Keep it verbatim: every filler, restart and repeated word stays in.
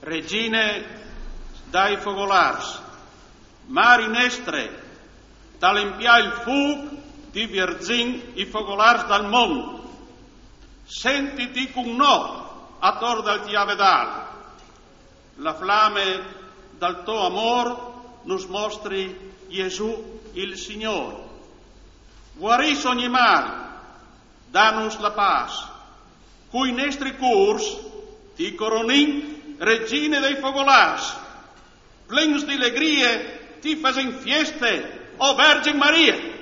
Regine dai fogolars, Mari nestre, tal empià il fûc, ti vierzìn i fogolars dal mont. Sentiti cun nô ator dal tiavedal. La flame dal to amôr nus mostri Jesù il Signôr. Guarìs ogni mâl, danus la pâs. Cui nestri cûrs ti coronìn, Regine dai fogolars. Plens di legrie ti fasìn fieste, o Vergin Marie.